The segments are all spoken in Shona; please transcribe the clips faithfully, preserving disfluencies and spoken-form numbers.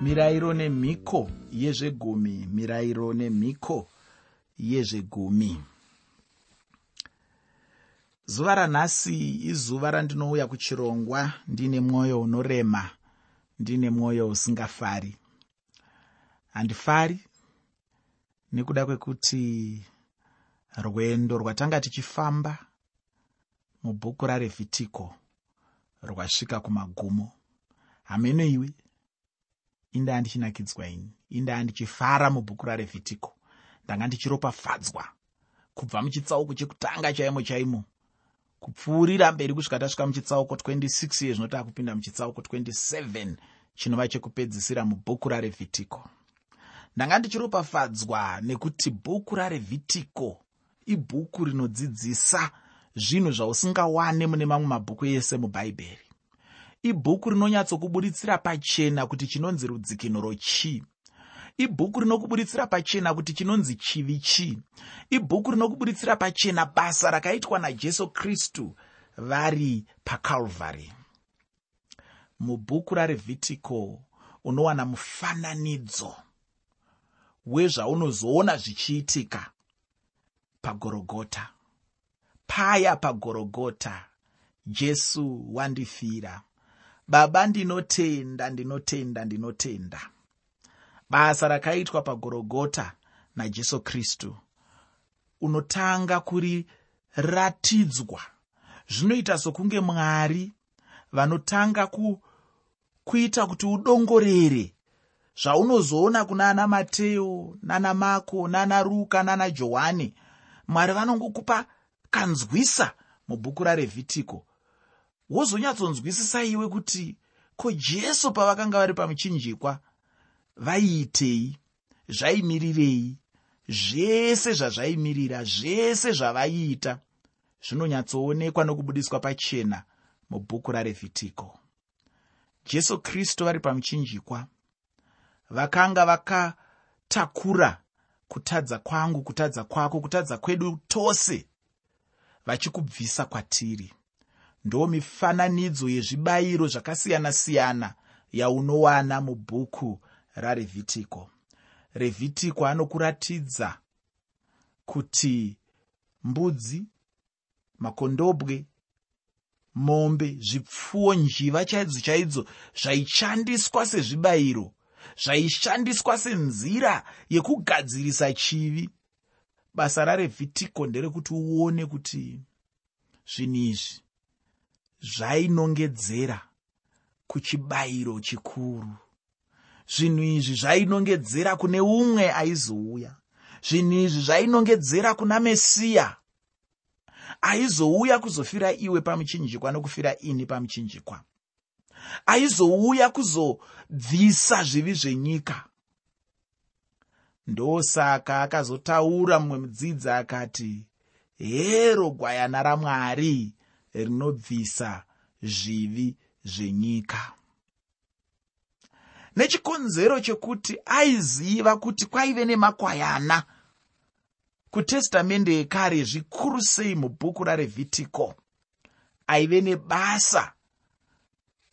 Mirayiro nemhiko yezvegumi, mirayiro nemhiko yezvegumi. Zuva ranhasi izuva randinouya kuchirongwa ndine mwoyo unorema, ndine mwoyo usingafari. Handifari nekuda kwekuti rwendo rwatanga tichifamba mubhuku raRevhitiko rwasvika kumagumo. Hameno iwe, indaa ndichinakidzwa ini, indaa ndichifara mubhuku raRevhitiko. Ndanga ndichiropafadzwa kubva muchitsauko chekutanga chaimo chaimo kupfuurira mberi kusvika tasvika muchitsauko twenty six yezvino taakupinda muchitsauko twenty seven chinova chekupedzisira mubhuku raRevhitiko. Ndanga ndichiropafadzwa nekuti bhuku raRevhitiko ibhuku rinodzidzisa zvinhu zvausingawane mune mamwe mabhuku ese muBhaibheri. Ibhuku rinonyatsokuburitsira pachena kuti chinonzi rudzikinuro chii. Ibhuku rinokuburitsira pachena kuti chinonzi chivi chii. Ibhuku rinokuburitsira pachena basa rakaitwa naJesu Kristu vari paCalvary. Mubhuku raRevhitiko unowana mufananidzo wezvaunozoona zvichiitika paGorogota. Paya paGorogota, Jesu wandifira. Baba, ndinotenda, ndinotenda, ndinotenda. Basa rakaitwa paGorogota naJesu Kristu unotanga kuriratidzwa. Zvinoita sokunge Mwari vanotanga ku, kuita kuti udongorere zvaunozoona kuna ana Mateo, nana Mako, nana Ruka, nana Johani. Mwari vanongokupa kanzwisa mubhuku raRevhitiko, wozonyatsonzwisisa iwe kuti ko Jesu pavakanga vari pamuchinjikwa vaiitei, zvaimirirei, zvese zvazvaimirira, zvese zvavaiita zvinonyatsoonekwa nokubudiswa pachena mubhuku raRevhitiko. Jesu Kristu vari pamuchinjikwa vakanga vakatakura kutadza kwangu, kutadza kwako, kutadza kwedu tose, vachikubvisa kwatiri. Ndo mifananidzo yezvibayiro zvakasiyana-siyana yaunowana mubhuku raRevhitiko. Revhitiko anokuratidza kuti mbudzi, makondobwe, mombe, zvipfuwo, njiva chaidzo chaidzo zvaishandiswa sezvibayiro, zvaishandiswa senzira yekugadzirisa chivi. Basa raRevhitiko nderekuti uone kuti zvinhu izvi zvainongedzera kuchibayiro chikuru. Zvinhu izvi zvainongedzera kune umwe aizouya. Zvinhu izvi zvainongedzera kuna Mesiya aizouya kuzofira iwe pamuchinjikwa nokufira ini pamuchinjikwa, aizouya kuzobvisa zvivi zvenyika. Ndosaka akazotaura mumwe mudzidzi akati, hero gwayana raMwari rinobvisa zvivi zvenyika. Nechikonzero chekuti aiziva kuti kwaive nemakwayana kuTestamende yekare, zvikuru sei mubhuku raRevhitiko, aive nebasa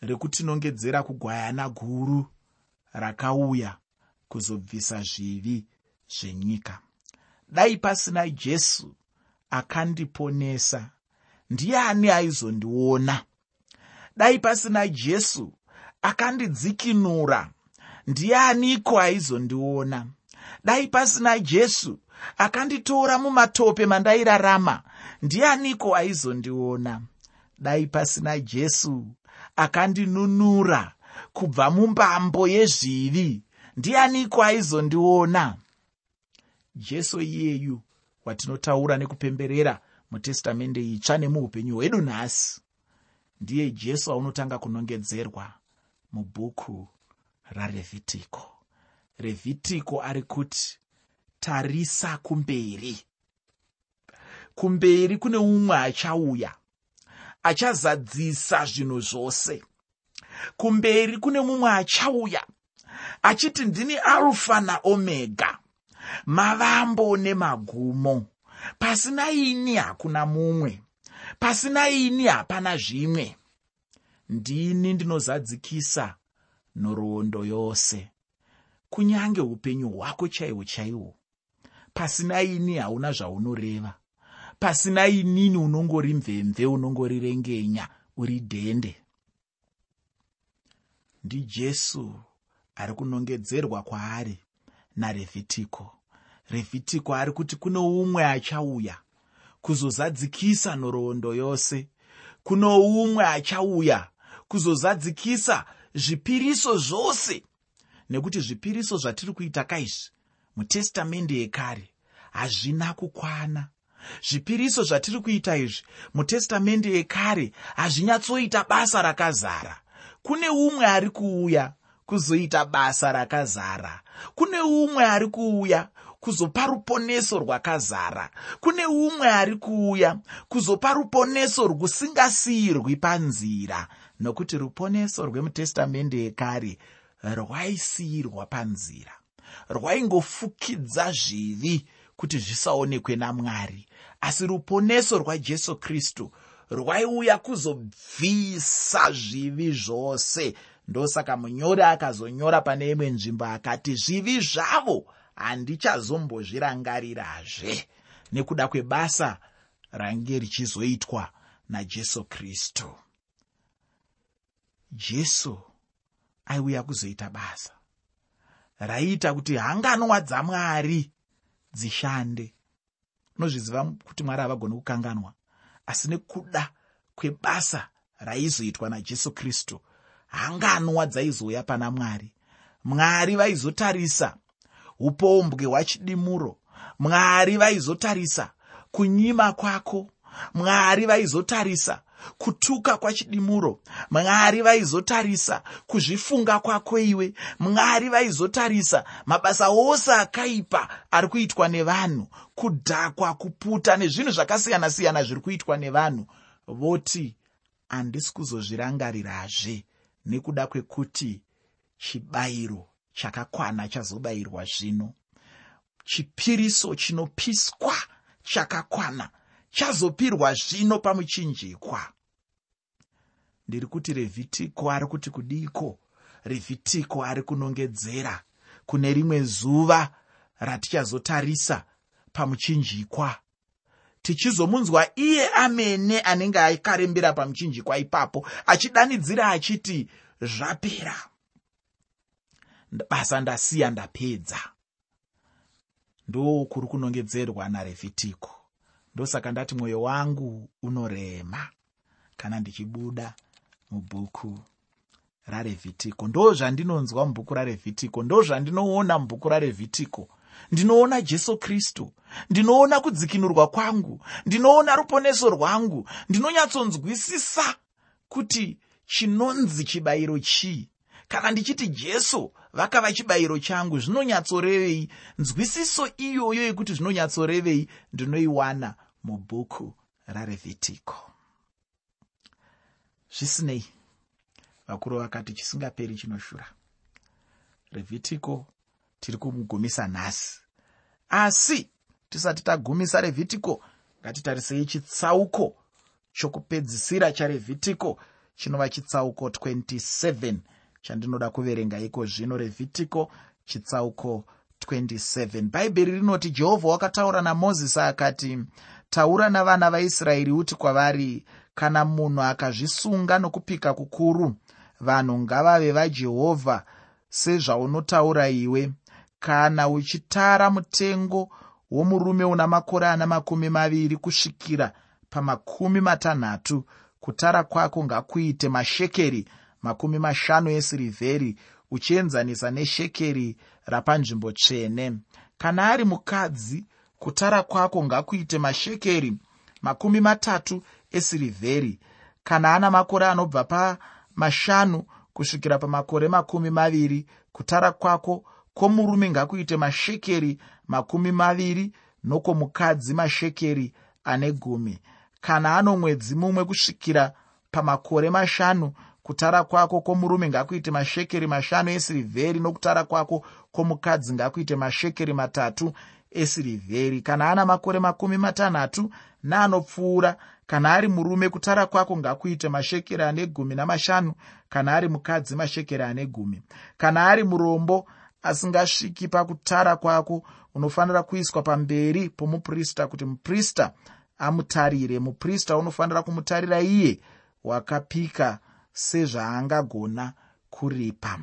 rekutinongedzera kugwayana guru rakauya kuzobvisa zvivi zvenyika. Dai pasina Jesu akandiponesa, ndiani aizondiona? Dai pasina Jesu akandidzikinura, ndianiko aizondiona? Dai pasina Jesu akanditora mumatope mandairarama, ndianiko aizondiona? Dai pasina Jesu akandinunura kubva mumbambo yezvivi, ndianiko aizondiona? Jesu iyeyu watinotaura nekupemberera muTestamende itsva nemuupenyu hwedu nhasi, ndiye Jesu aunotanga kunongedzerwa mubhuku raRevhitiko. Revhitiko ari kuti tarisa kumberi. Kumberi kune umwe achauya achazadzisa zvinhu zvose. Kumberi kune mumwe achauya achiti ndini Alfa naOmega, mavambo nemagumo. Pasina ini hakuna mumwe, pasina ini hapana zvimwe. Ndini ndinozadzikisa nhoroondo yose. Kunyange upenyu hwako chaihwo chaihwo, pasina ini hauna zvaunoreva. Pasina inini unongori mvemve, unongori rengenya, uri dhende. NdiJesu ari kunongedzerwa kwaari naRevhitiko. Revhitiko ari kuti kune umwe achauya kuzozadzikisa nhoroondo yose. Kuno umwe achauya kuzozadzikisa zvipiriso zvose, nekuti zvipiriso zvatiri kuita kaizvi muTestamende yekare hazvina kukwana. Zvipiriso zvatiri kuita izvi muTestamende yekare hazvinyatsoita basa rakazara. Kune umwe ari kuuya kuzoita basa rakazara. Kune umwe ari kuuya kuzopa ruponeso rwakazara. Kune umwe ari kuuya kuzopa ruponeso rwusingasiyirwi panzira, nokuti ruponeso rwemuTestamende yekare rwaisiyirwa panzira, rwaingofukidza zvivi kuti zvisaonekwe naMwari. Asi ruponeso rwaJesu Kristu rwaiuya kuzobvisa zvivi zvose. Ndosaka munyori akazonyora pane imwe nzvimbo akati, zvivi zvavo handichazombozvirangarirazve, nekuda kwebasa range richizoitwa naJesu Kristu. Jesu aiuya kuzoita basa raiita kuti hanganwa dzaMwari dzishande. Unozviziva kuti Mwari havagoni kukanganwa, asi nekuda kwebasa raizoitwa naJesu Kristu, hanganwa dzaizouya pana Mwari. Mwari vaizotarisa upombwe hwachidimuro. Mwari vaizotarisa kunyima kwako. Mwari vaizotarisa kutuka kwachidimuro. Mwari vaizotarisa kuzvifunga kwako iwe. Mwari vaizotarisa mabasa ose akaipa ari kuitwa nevanhu, kudhakwa, kuputa nezvinhu zvakasiyana-siyana zviri kuitwa nevanhu, voti handisi kuzozvirangarirazve, nekuda kwekuti chibayiro chakakwana chazobayirwa zvino. Chipiriso chinopiswa chakakwana chazopirwa zvino pamuchinjikwa. Ndiri kuti Revhitiko ari kuti kudiko? Revhitiko ari kunongedzera kune rimwe zuva ratichazotarisa pamuchinjikwa, tichizomunzwa iye amene anenge akarembera pamuchinjikwa ipapo achidanidzira achiti, zvapera, basa ndasiya, ndapedza. Ndo kuri kunongedzerwa naRevhitiko. Ndosaka ndati mwoyo wangu unorema kana ndichibuda mubhuku raRevhitiko. Ndo zvandinonzwa mubhuku raRevhitiko, ndo zvandinoona mubhuku raRevhitiko. Ndinoona Jesu Kristu, ndinoona kudzikinurwa kwangu, ndinoona ruponeso rwangu, ndinonyatsonzwisisa kuti chinonzi chibayiro chii. Kana ndichiti Jesu vakava chibayiro changu, zvinonyatsorevei? Nzwisiso iyoyo yekuti zvinonyatsorevei ndinoiwana mubhuku raRevhitiko. Zvisinei, vakuru vakati chisingaperi chinoshura. Revhitiko tiri kumugumisa nhasi, asi tisati tagumisa Revhitiko, ngatitarisei chitsauko chokupedzisira chaRevhitiko, chinova chitsauko twenty-seven chandinoda kuverenga iko zvino. Revhitiko chitsauko twenty-seven. Bhaibheri rinoti, Jehovha wakataura naMozisi akati, taura navana vaIsraeri uti kwavari, kana munhu akazvisunga nokupika kukuru, vanhu ngavave vaJehovha sezvaunotaura iwe. Kana uchitara mutengo womurume una makore ana makumi maviri kusvikira pamakumi matanhatu, kutara kwako ngakuite mashekeri makumi mashanu esirivheri, uchienzanisa neshekeri rapanzvimbo tsvene. Kana ari mukadzi, kutara kwako ngakuite mashekeri makumi matatu esirivheri. Kana ana makore anobva pamashanu kusvikira pamakore makumi maviri, kutara kwako kwomurume ngakuite mashekeri makumi maviri, nokwomukadzi mashekeri ane gumi. Kana ano mwedzi mumwe kusvikira pamakore mashanu, kutara kwako kwomurume ngakuite mashekeri mashanu esirivheri, nokutara kwako kwomukadzi ngakuite mashekeri matatu esirivheri. Kana ana makore makumi matanhatu naanopfuura, kana ari murume, kutara kwako ngakuite mashekeri ane gumi namashanu, kana ari mukadzi mashekeri ane gumi. Kana ari murombo Asingasviki pakutara kwako unofanira kuiswa pamberi pomuprista kuti muprista amutarire. Muprista unofanira kumutarira iye wakapika sezvaangagona kuripa.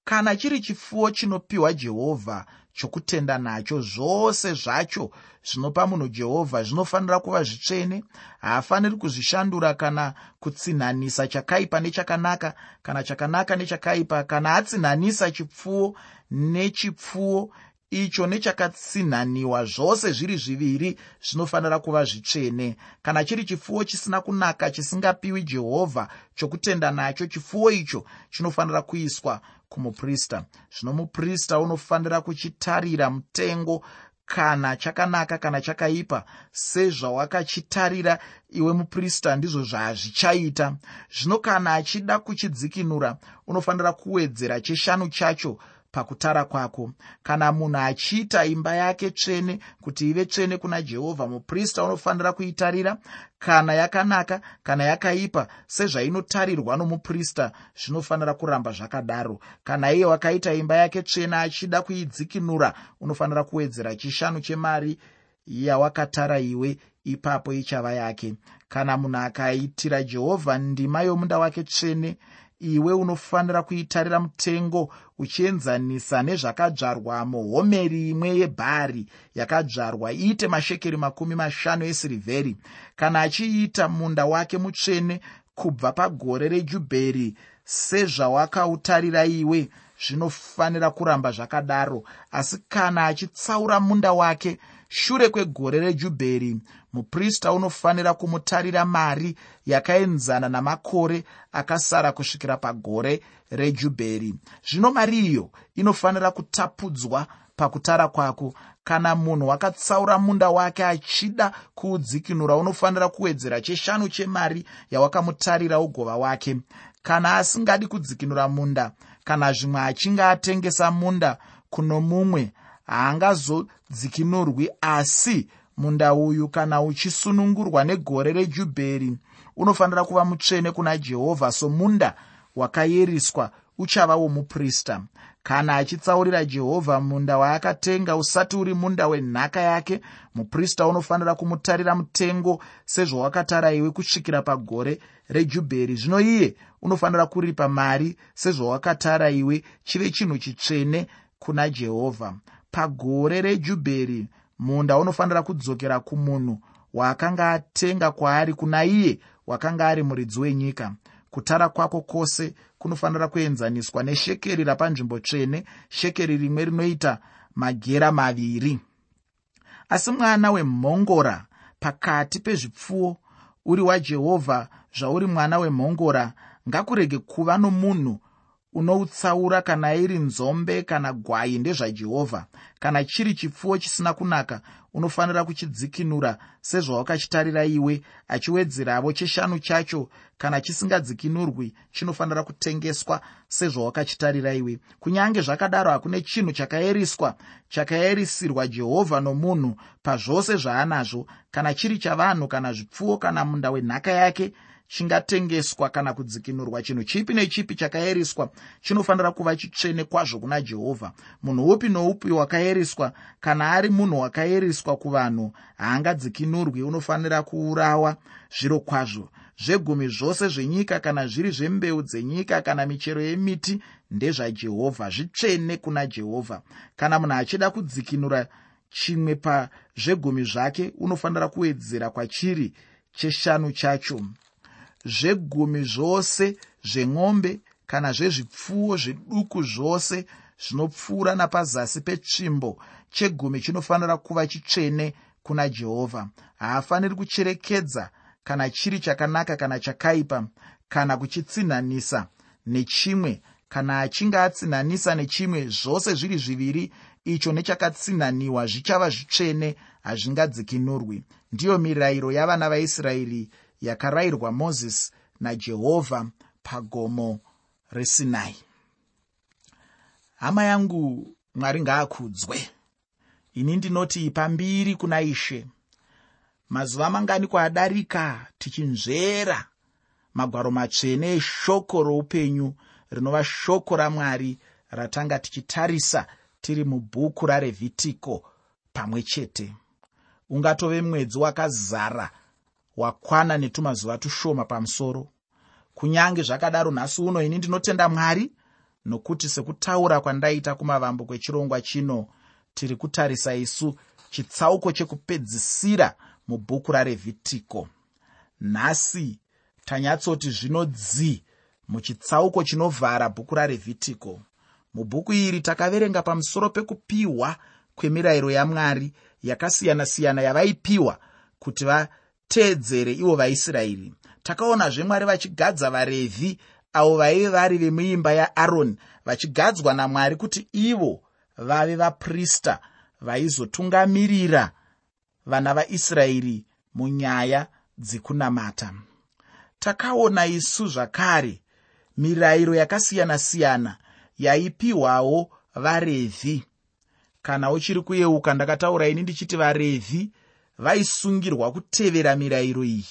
Kana chiri chipfuwo chinopiwa Jehovha chokutenda nacho, zvose zvacho zvinopa munhu Jehovha zvinofanira kuva zvitsvene. Haafaniri kuzvishandura kana kutsinhanisa chakaipa nechakanaka, kana chakanaka nechakaipa. Kana atsinhanisa chipfuwo nechipfuwo, icho nechakatsinhaniwa, zvose zviri zviviri zvinofanira kuva zvitsvene. Kana chiri chipfuwo chisina kunaka chisingapiwi Jehovha chokutenda nacho, chipfuwo icho chinofanira kuiswa kumuprista. Zvino muprista unofanira kuchitarira mutengo, kana chakanaka kana chakaipa, sezvawakachitarira iwe muprista, ndizvo zvazvichaita. Zvino kana achida kuchidzikinura, unofanira kuwedzera cheshanu chacho pakutara kwako. Kana munhu achiita imba yake tsvene kuti ive tsvene kuna Jehovha, muprista unofanira kuitarira, kana yakanaka kana yakaipa, sezvainotarirwa nomuprista, zvinofanira kuramba zvakadaro. Kana iye wakaita imba yake tsvene achida kuidzikinura, unofanira kuwedzera chishanu chemari yawakatara iwe, ipapo ichava yake. Kana munhu akaitira Jehovha ndima yomunda wake tsvene, iwe unofanira kuitarira mutengo uchienzanisa nezvakadzvarwamo. Homeri imwe yebhari yakadzvarwa iite mashekeri makumi mashanu esirivheri. Kana achiita munda wake mutsvene kubva pagore rejubheri, sezvawakautarira iwe, zvinofanira kuramba zvakadaro. Asi kana achitsaura munda wake shure kwegore rejubheri, muprista unofanira kumutarira mari yakaenzana namakore akasara kusvikira pagore rejubheri. Zvino mari iyo inofanira kutapudzwa pakutara kwako. Kana munhu wakatsaura munda wake achida kuudzikinura, unofanira kuwedzera cheshanu chemari yawakamutarira ugova wake. Kana asingadi kudzikinura munda, kana zvimwe achinge atengesa munda kuno mumwe, haangazodzikinurwi. Asi munda uyu kana uchisunungurwa negore rejubheri, unofanira kuva mutsvene kuna Jehovha, somunda wakayeriswa, uchava womuprista. Kana achitsaurira Jehovha munda waakatenga usati uri munda wenhaka yake, muprista unofanira kumutarira mutengo sezvawakatara iwe kusvikira pagore rejubheri. Zvino iye unofanira kuripa mari sezvawakatara iwe, chive chinhu chitsvene kuna Jehovha. Pagore rejubheri munda unofanira kudzokera kumunhu waakanga atenga kwaari, kuna iye wakanga ari muridzi wenyika. Kutara kwako kwose kunofanira kuenzaniswa neshekeri rapanzvimbo tsvene. Shekeri rimwe rinoita magera maviri. Asi mwana wemhongora pakati pezvipfuwo uri waJehovha, zvauri mwana wemhongora, ngakurege kuva nomunhu unoutsaura, kana iri nzombe kana gwai, ndezvaJehovha. Kana chiri chipfuwo chisina kunaka, unofanira kuchidzikinura sezvawakachitarira iwe, achiwedzeravo cheshanu chacho. Kana chisingadzikinurwi, chinofanira kutengeswa sezvawakachitarira iwe. Kunyange zvakadaro, hakune chinhu chakaeriswa chakaerisirwa Jehovha nomunhu pazvose zvaanazvo, kana chiri chavanhu kana zvipfuwo kana munda wenhaka yake, chingatengeswa kana kudzikinurwa. Chinhu chipi nechipi chakaeriswa chinofanira kuva chitsvene kwazvo kuna Jehovha. Munhu upi noupi wakaeriswa, kana ari munhu wakaeriswa kuvanhu, haangadzikinurwi, unofanira kuurawa zviro kwazvo. Zvegumi zvose zvenyika, kana zviri zvembeu dzenyika kana michero yemiti, ndezvaJehovha, zvitsvene kuna Jehovha. Kana munhu achida kudzikinura chimwe pazvegumi zvake, unofanira kuwedzera kwachiri cheshanu chacho. Zvegumi zvose zveng'ombe kana zvezvipfuwo zviduku zvose zvinopfuura napazasi petsvimbo, chegumi chinofanira kuva chitsvene kuna Jehovha. Haafaniri kucherekedza kana chiri chakanaka kana chakaipa, kana kuchitsinhanisa nechimwe. Kana achinge atsinhanisa nechimwe, zvose zviri zviviri icho nechakatsinhaniwa zvichava zvitsvene, hazvingadzikinurwi. Ndiyo mirayiro yavana vaIsraeri yakarayirwa Mozisi naJehovha pagomo reSinai. Hama yangu, Mwari ngaakudzwe. Ini ndinoti pambiri kuna Ishe. Mazuva mangani kwadarika tichinzvera magwaro matsvene eshoko roupenyu, rinova shoko raMwari ratanga tichitarisa tiri mubhuku raRevhitiko pamwe chete. Ungatove mwedzi wakazara wakwana netumazuva tushoma pamusoro. Kunyange zvakadaro, nhasi uno ini ndinotenda Mwari nokuti sekutaura kwandaita kumavambo kwechirongwa chino, tiri kutarisa isu chitsauko chekupedzisira mubhuku raRevhitiko. Nhasi tanyatsoti zvino dzi muchitsauko chinovhara bhuku raRevhitiko. Mubhuku iri takaverenga pamusoro pekupiwa kwemirayiro yaMwari yakasiyana-siyana yavaipiwa kuti vateedzere ivo vaIsraeri. Takaonazve Mwari vachigadza vaRevhi avo vaive vari vemuimba yaAroni, vachigadzwa naMwari kuti ivo vave vaprista vaizotungamirira vana vaIsraeri munyaya dzekunamata. Takaona isu zvakare mirayiro yakasiyana-siyana yaipiwawo vaRevhi. Kana uchiri kuyeuka, ndakataura ini ndichiti vaRevhi vaisungirwa kutevera mirayiro iyi.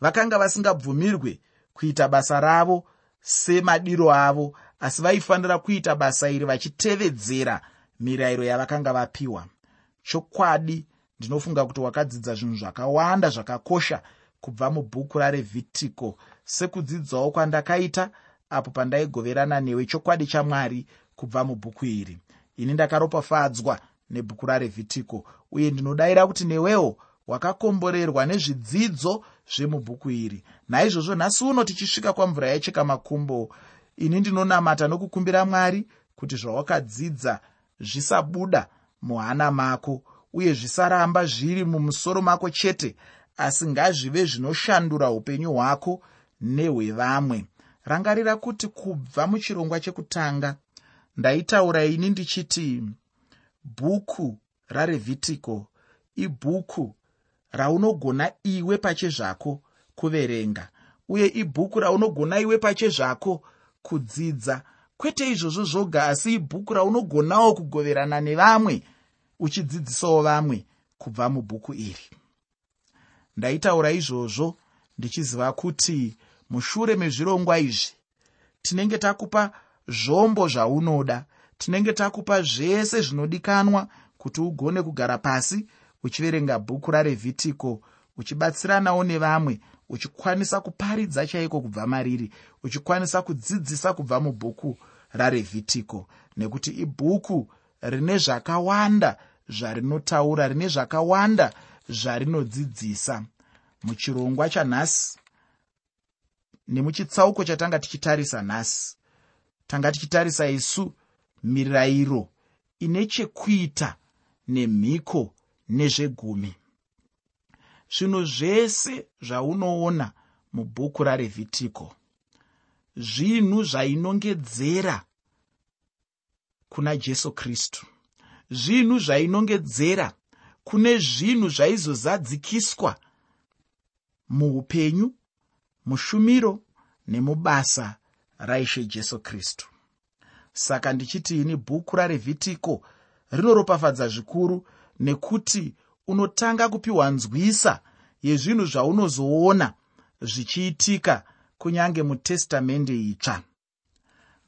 Vakanga vasingabvumirwe kuita basa ravo semadiro avo, asi vaifanira kuita basa iri vachitevedzera mirayiro yavakanga vapiwa. Chokwadi ndinofunga kuti wakadzidza zvinhu zvakawanda zvakakosha kubva mubhuku raRevhitiko, sekudzidzawo kwandakaita apo pandaigoverana newe chokwadi chaMwari kubva mubhuku iri. Ini ndakaropafadzwa nebhuku raRevhitiko, uye ndinodayira kuti newewo wakakomborerwa nezvidzidzo zvemubhuku iri. Naizvozvo nhasi uno tichisvika kwamvura yacheka makumbo, ini ndinonamata nokukumbira Mwari kuti zvawakadzidza zvisabuda muhana mako, uye zvisaramba zviri mumusoro mako chete, asi ngazvive zvinoshandura upenyu hwako nehwevamwe. Rangarira kuti kubva muchirongwa chekutanga ndaitaura ini ndichiti bhuku raRevhitiko ibhuku raunogona iwe pachezvako kuverenga, uye ibhuku raunogona iwe pachezvako kudzidza. Kwete izvozvo zvoga, asi ibhuku raunogonawo kugoverana nevamwe, uchidzidzisawo vamwe kubva mubhuku iri. Ndaitaura izvozvo ndichiziva kuti mushure mezvirongwa izvi tinenge takupa zvombo zvaunoda, tinenge takupa zvese zvinodikanwa kuti ugone kugara pasi uchiverenga bhuku raRevhitiko, uchibatsiranawo nevamwe, uchikwanisa kuparidza chaiko kubva mariri, uchikwanisa kudzidzisa kubva mubhuku raRevhitiko, nekuti ibhuku rine zvakawanda zvarinotaura, rine zvakawanda zvarinodzidzisa. Muchirongwa chanhasi nemuchitsauko chatanga tichitarisa nhasi, tanga tichitarisa isu mirayiro ine chekuita nemhiko nezvegumi. Zvinhu zvese zvaunoona mubhuku raRevhitiko zvinhu zvainongedzera kuna Jesu Kristu, zvinhu zvainongedzera kune zvinhu zvaizozadzikiswa muupenyu, mushumiro nemubasa raIshe Jesu Kristu. Saka ndichiti ini bhuku raRevhitiko rinoropafadza zvikuru, nekuti unotanga kupiwa nzwisa yezvinhu zvaunozoona zvichiitika kunyange muTestamende itsva.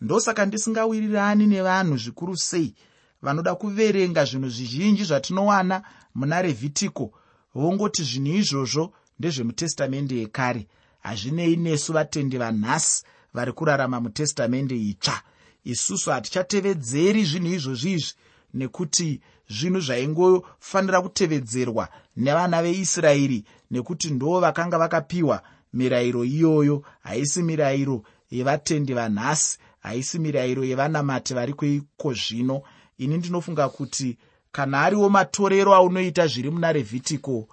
Ndosaka ndisingawirirani nevanhu zvikuru sei vanoda kuverenga zvinhu zvizhinji zvatinowana muna Revhitiko, vongoti zvinhu izvozvo ndezvemuTestamende yekare. Hazvinei nesu vatendi vanhasi vari kurarama muTestamende itsva. Isusu hatichatevedzeri zvinhu izvozvi izvi, nekuti zvinhu zvaingofanira kutevedzerwa nevana veIsraeri, nekuti ndo vakanga vakapiwa mirayiro iyoyo. Haisi mirayiro yevatendi vanhasi, haisi mirayiro yevanamati vari kuiko zvino. Ini ndinofunga kuti kana ariwo matorero aunoita zviri muna Revhitiko,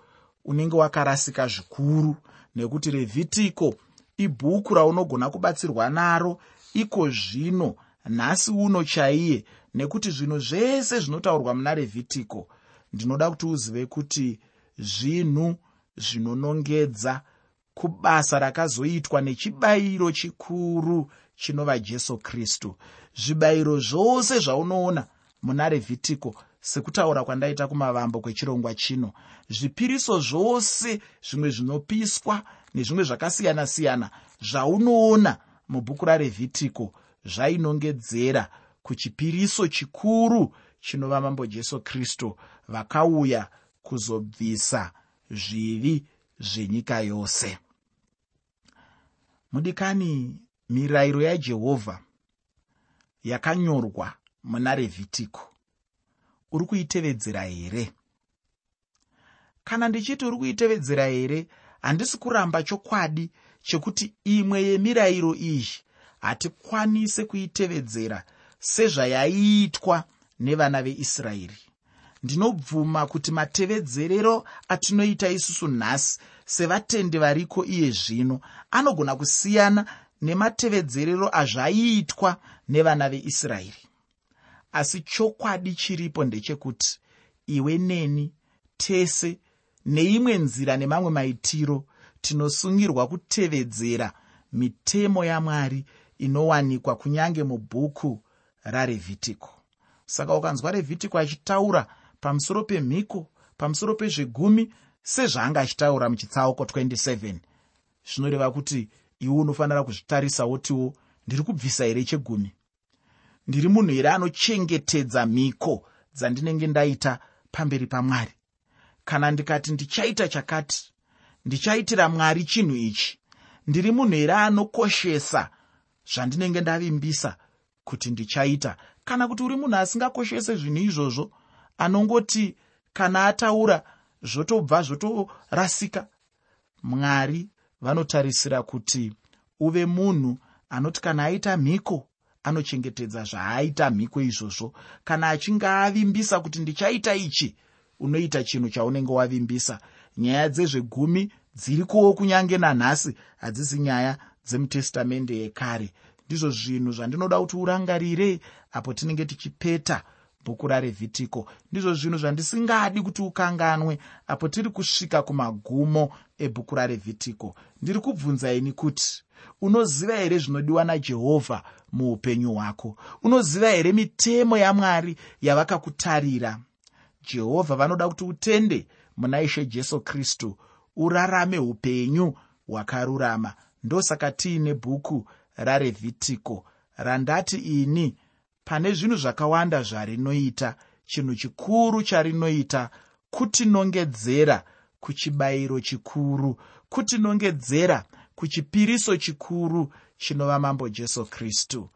unenge wakarasika zvikuru, nekuti Revhitiko ibhuku raunogona kubatsirwa naro iko zvino nhasi uno chaiye, nekuti zvinhu zvese zvinotaurwa muna Revhitiko, ndinoda kuti uzive kuti zvinhu zvinonongedza kubasa rakazoitwa nechibayiro chikuru chinova Jesu Kristu. Zvibayiro zvose zvaunoona muna Revhitiko, sekutaura kwandaita kumavambo kwechirongwa chino, zvipiriso zvose zvimwe zvinopiswa nezvimwe zvakasiyana-siyana zvaunoona mubhuku raRevhitiko zvainongedzera Kuchipiriso chikuru chinova Mambo Jesu Kristu, vakauya kuzobvisa zvivi zvenyika yose. Mudikani, mirayiro yaJehovha yakanyorwa muna Revhitiko, uri kuitevedzera here? Kana ndichiti uri kuitevedzera here, handisi kuramba chokwadi chekuti imwe yemirayiro iyi hatikwanise kuitevedzera sezvayaiitwa nevana veIsraeri. Ndinobvuma kuti matevedzerero atinoita isusu nhasi sevatendi variko iye zvino anogona kusiyana nematevedzerero azvaiitwa nevana veIsraeri. Asi chokwadi chiripo ndechekuti iwe neni tese neimwe nzira nemamwe maitiro tinosungirwa kutevedzera mitemo yaMwari inowanikwa kunyange mubhuku raRevhitiko. Saka ukanzwa Revhitiko achitaura pamusoro pemhiko, pamusoro pezvegumi, sezvaanga achitaura muchitsauko twenty seven, zvinoreva kuti iwe unofanira kuzvitarisa wotiwo, ndiri kubvisa here chegumi? Ndiri munhu here anochengetedza mhiko dzandinenge ndaita pamberi paMwari? Kana ndikati ndichaita chakati, ndichaitira Mwari chinhu ichi, ndiri munhu here anokoshesa zvandinenge ndavimbisa kuti ndichaita? Kana kuti uri munhu asingakoshese zvinhu izvozvo, anongoti kana ataura zvotobva zvotorasika? Mwari vanotarisira kuti uve munhu anoti kana aita mhiko anochengetedza zvaaita mhiko izvozvo. Kana achinge avimbisa kuti ndichaita ichi, unoita chinhu chaunenge wavimbisa. Nyaya dzezvegumi dzirikowo kunyange nanhasi, hadzisi nyaya dzemutestamende yekare. Ndizvo zvinhu zvandinoda kuti urangarire apo tinenge tichipeta bhuku raRevhitiko. Ndizvo zvinhu zvandisingadi kuti ukanganwe apo tiri kusvika kumagumo ebhuku raRevhitiko. Ndiri kubvunza ini kuti unoziva here zvinodiwa naJehovha muupenyu hwako? Unoziva here mitemo yaMwari yavakakutarira? Jehovha vanoda kuti utende muna Ishe Jesu Kristu, urarame upenyu hwakarurama. Ndosaka tiine bhuku raRevhitiko randati ini pane zvinhu zvakawanda zvarinoita, chinhu chikuru charinoita kutinongedzera kuchibayiro chikuru, kutinongedzera kuchipiriso chikuru chinova Mambo Jesu Kristu.